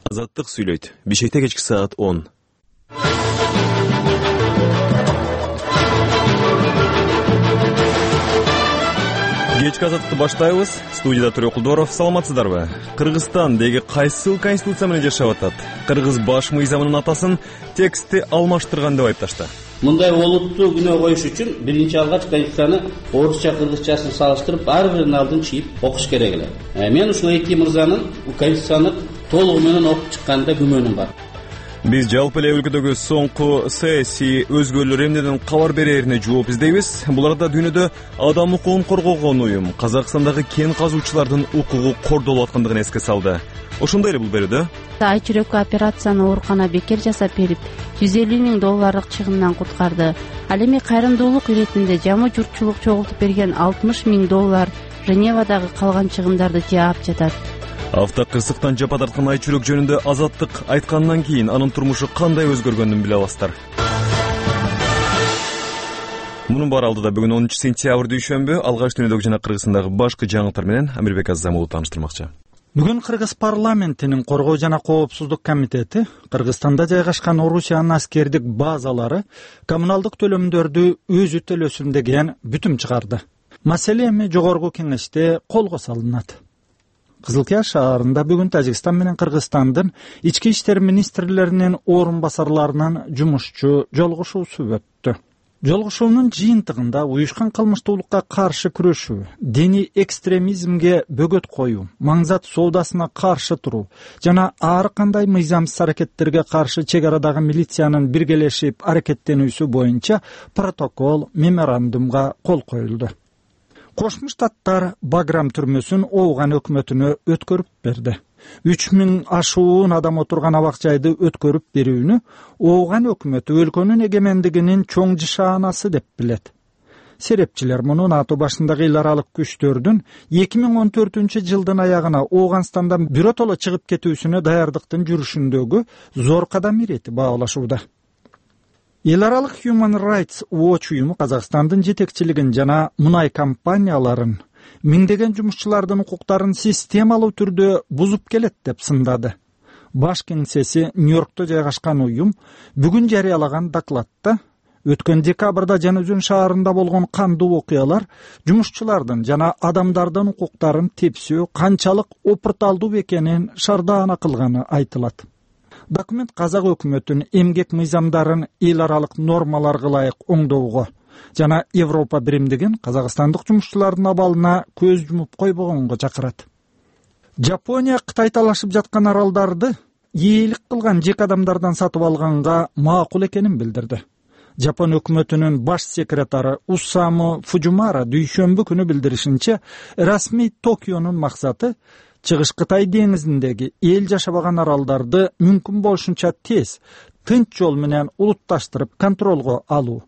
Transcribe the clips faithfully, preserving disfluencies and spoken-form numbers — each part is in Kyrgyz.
Азаттык сүйлөйт. Бишкекте кечки саат он. Кечки азаттыкты баштайбыз. Студияда Төрө Кулдоров. Саламатсыздарбы? Кыргызстан деги кайсыл конституция менен жашап атат? Кыргыз баш мыйзамынын атасын тексти алмаштырган деп айыпташты. Мындай олуттуу күнөө коюш үчүн биринчи алгач конституцияны орусча кыргызчасын салыштырып ар биринин алдын чийип окуш керек эле. Мен ушул эки мырзанын конституцияны толугу менен окуп чыкканында күмөнүм бар. Биз жалпы эле өлкөдөгү соңку саясий өзгөрүүлөр эмнеден кабар берерине жооп издейбиз. Буларда дүйнөдө адам укугун коргогон уюм Казакстандагы кен казуучулардын укугу кордолуп аткандыгын эске салды. Ошондой эле бул берүүдө ай чүрөккө операцияны оорукана бекер жасап берип, жүз элүү миң долларлык чыгымдан куткарды. Ал эми кайрымдуулук иретинде жамы журтчулук чогултуп берген алтымыш миң доллар Женевадагы калган чыгымдарды жаап жатат. Автокырсыктан жапа тарткан ай чүрөк жөнүндө Азаттык айткандан кийин анын турмушу кандай өзгөргөнүн биле аласыздар. Мунун баары алдыда бүгүн онунчу сентябрь дүйшөмбү алгач дүйнөдөгү жана Кыргызстандагы башкы жаңылыктар менен Амирбек Азамулу тааныштырмакчы. Бүгүн Кыргыз парламентинин Коргоо жана Коопсуздук комитети Кыргызстанда жайгашкан Орусиянын аскердик базалары коммуналдык төлөмдөрдү өзү төлөсүн деген бүтүм чыгарды. Маселе эми жогорку кеңеште колго салынат. Кызылкия шаарында бүгүн Тажикстан менен Кыргызстандын ички иштер министрлеринин орун басарларынын жумушчу жолугушуусу өттү. Жолугушуунун жыйынтыгында уюшкан кылмыштуулукка каршы күрөшүү, диний экстремизмге бөгөт коюу, маңзат соодасына каршы туруу жана ар кандай мыйзамсыз аракеттерге каршы чек арадагы милициянын биргелешип аракеттенүүсү боюнча протокол, меморандумга кол коюлду. Кошмо Штаттар Баграм түрмөсүн Ооган өкмөтүнө өткөрүп берди. үч миң ашуун адам отурган абак жайды өткөрүп берүүнү Ооган өкмөтү өлкөнүн эгемендигинин чоң жышаанасы деп билет. Серепчилер муну НАТО башындагы эл аралык күчтөрдүн эки миң он төртүнчү жылдын аягына Ооганстандан биротоло чыгып кетүүсүнө даярдыктын жүрүшүндөгү зор кадам иретип баалашууда. Эл аралык Human Rights Watch уюму Казакстандын жетекчилигин жана мунай компанияларын миңдеген жумушчулардын укуктарын системалуу түрдө бузуп келет деп сындады. Баш кеңсеси Нью-Йоркто жайгашкан уюм бүгүн жарыялаган докладта өткөн декабрда Жанызөн шаарында болгон кандуу окуялар жумушчулардын жана адамдардын укуктарын тепсөө канчалык опурталдуу экенин шардаана кылганы айтылат. Документ казак өкмөтүнүн эмгек мыйзамдарын эл аралык нормаларга ылайык оңдоого жана Европа биримдигин казакстандык жумушчулардын абалына көз жумуп койбогонго чакырат. Жапония Кытай талашып жаткан аралдарды ээлик кылган жеке адамдардан сатып алганга макул экенин билдирди. Жапон өкмөтүнүн баш секретары Усаму Фужимара дүйшөмбү күнү билдиришинче, расмий Токионун максаты Чыгыш Кытай деңизиндеги эл жашабаган аралдарды мүмкүн болушунча тез, тынч жол менен улутташтырып контролго алуу.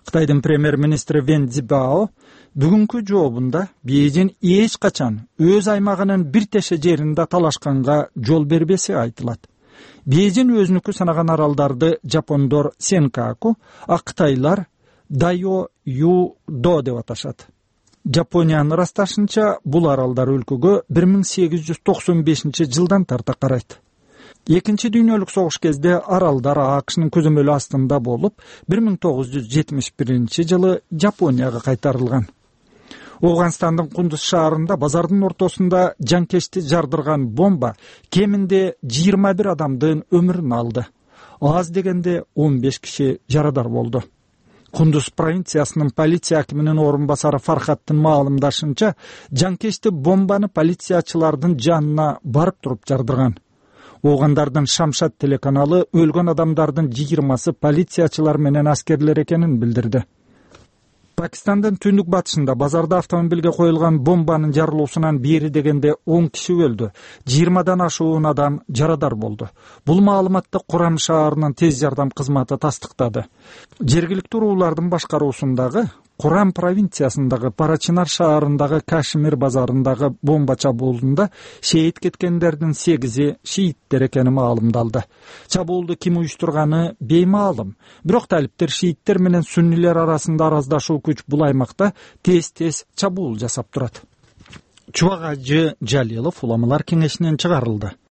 Кытайдын премьер-министри Вен Цзибао бүгүнкү жообунда Бейжин эч качан өз аймагынын бир теше жеринде талашканга жол бербеси айтылат. Бейжин өзүнүкү санаган аралдарды жапондор Сенкаку, а кытайлар Дайо Юдо деп аташат. Жапониянын ырасташынча бул аралдар өлкөгө бир миң сегиз жүз токсон бешинчи жылдан тарта карайт. Экинчи дүйнөлүк согуш кезде аралдар АКШнын көзөмөлү астында болуп, бир миң тогуз жүз жетимиш биринчи жылы Жапонияга кайтарылган. Ооганстандын Кундуз шаарында базардын ортосунда жанкечти жардырган бомба кеминде жыйырма бир адамдын өмүрүн алды. Аз дегенде он беш киши жарадар болду. Кундуз провинциясынын полиция акиминин орун басары Фархаттын маалымдашынча, жанкечти бомбаны полициячылардын жанына барып туруп жардырган. Оогандардын Шамшат телеканалы өлгөн адамдардын жыйырмасы полициячылар менен аскерлер экенин билдирди. Пакистандын түндүк батышында базарда автомобилге коюлган бомбанын жарылуусунан бери дегенде он киши өлдү, жыйырмадан ашуун адам жарадар болду. Бул маалыматты Курам шаарынын тез жардам кызматы тастыктады. Жергиликтүү уруулардын башкаруусундагы Курам провинциясындагы Парачинар шаарындагы Кашмир базарындагы бомба чабуулунда шейит кеткендердин сегизи шииттер экени маалымдалды. Чабуулду ким уюштурганы беймаалым. Бирок талиптер шииттер менен суннилер арасында араздашуу күч бул аймакта тез-тез чабуул жасап турат. Чубак Ажы Жалилов уламалар кеңешинен чыгарылды.